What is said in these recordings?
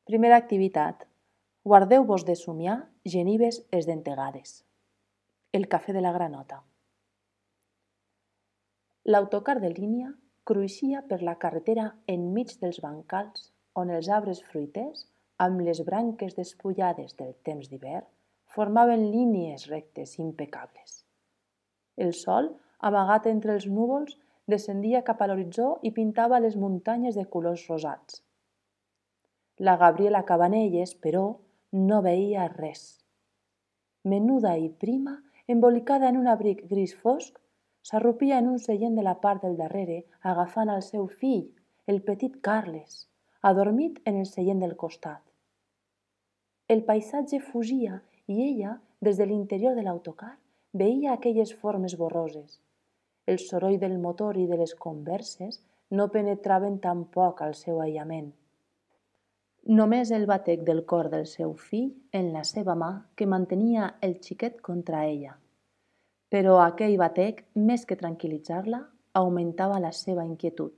Primera activitat. Guardeu-vos de somiar genives esdentegades. El cafè de la granota. L'autocar de línia cruixia per la carretera enmig dels bancals on els arbres fruiters, amb les branques despullades del temps d'hivern, formaven línies rectes impecables. El sol, amagat entre els núvols, descendia cap a l'horitzó i pintava les muntanyes de colors rosats. La Gabriela Cabanelles, però, no veia res. Menuda i prima, embolicada en un abric gris fosc, s'arrupia en un seient de la part del darrere, agafant el seu fill, el petit Carles, adormit en el seient del costat. El paisatge fugia i ella, des de l'interior de l'autocar, veia aquelles formes borroses. El soroll del motor i de les converses no penetraven tampoc al seu aïllament. Només el batec del cor del seu fill en la seva mà que mantenia el xiquet contra ella. Però aquell batec, més que tranquil·litzar-la, augmentava la seva inquietud.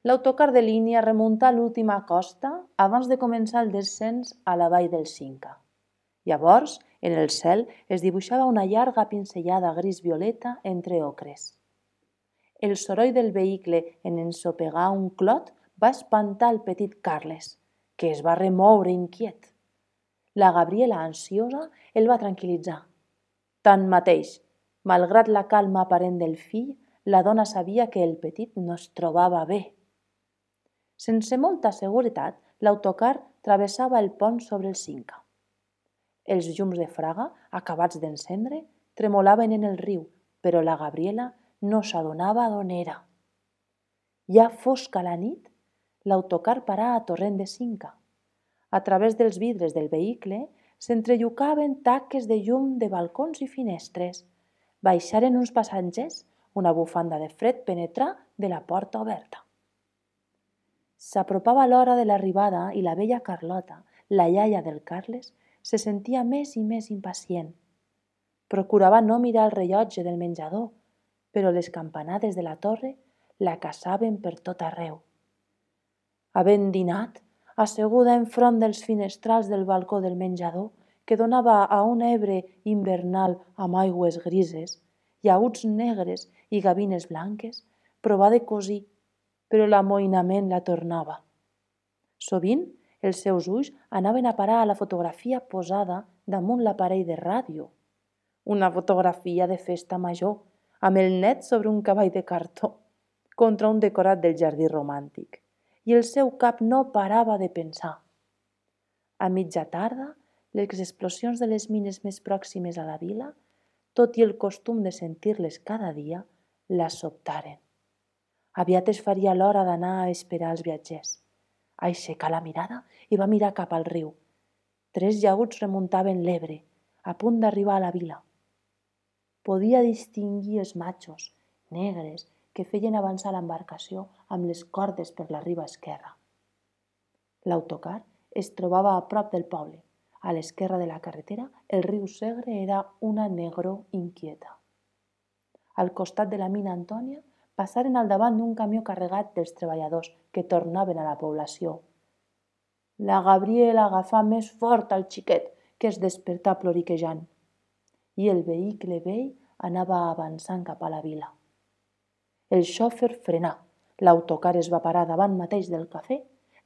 L'autocar de línia remuntà l'última costa abans de començar el descens a la vall del Cinca. Llavors, en el cel es dibuixava una llarga pinzellada gris-violeta entre ocres. El soroll del vehicle en ensopegar un clot va espantar el petit Carles, que es va remoure inquiet. La Gabriela, ansiosa, el va tranquil·litzar. Tanmateix, malgrat la calma aparent del fill, la dona sabia que el petit no es trobava bé. Sense molta seguretat, l'autocar travessava el pont sobre el Cinca. Els llums de Fraga, acabats d'encendre, tremolaven en el riu, però la Gabriela no s'adonava d'on era. Ja fosca la nit, l'autocar parà a Torrent de Cinca. A través dels vidres del vehicle s'entrellucaven taques de llum de balcons i finestres. Baixaren uns passatgers, una bufanda de fred penetrà de la porta oberta. S'apropava l'hora de l'arribada i la vella Carlota, la iaia del Carles, se sentia més i més impacient. Procurava no mirar el rellotge del menjador, però les campanades de la torre la caçaven per tot arreu. Havent dinat, asseguda enfront dels finestrals del balcó del menjador, que donava a un Ebre invernal amb aigües grises, llaüts negres i gavines blanques, provà de cosir, però l'amoïnament la tornava. Sovint, els seus ulls anaven a parar a la fotografia posada damunt l'aparell de ràdio. Una fotografia de festa major, amb el net sobre un cavall de cartó, contra un decorat del jardí romàntic, i el seu cap no parava de pensar. A mitja tarda, les explosions de les mines més pròximes a la vila, tot i el costum de sentir-les cada dia, la sobtaren. Aviat es faria l'hora d'anar a esperar els viatgers. Aixecà la mirada i va mirar cap al riu. 3 llaüts remuntaven l'Ebre, a punt d'arribar a la vila. Podia distingir els matxos, negres, que feien avançar l'embarcació amb les cordes per la riba esquerra. L'autocar es trobava a prop del poble. A l'esquerra de la carretera, el riu Segre era una negror inquieta. Al costat de la mina Antònia, passaren al davant d'un camió carregat dels treballadors que tornaven a la població. La Gabriela agafà més fort al xiquet, que es despertà ploriquejant, i el vehicle vell anava avançant cap a la vila. El xòfer frenà, l'autocar es va parar davant mateix del cafè,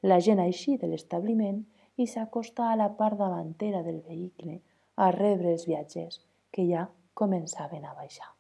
la gent eixí de l'establiment i s'acostà a la part davantera del vehicle a rebre els viatgers, que ja començaven a baixar.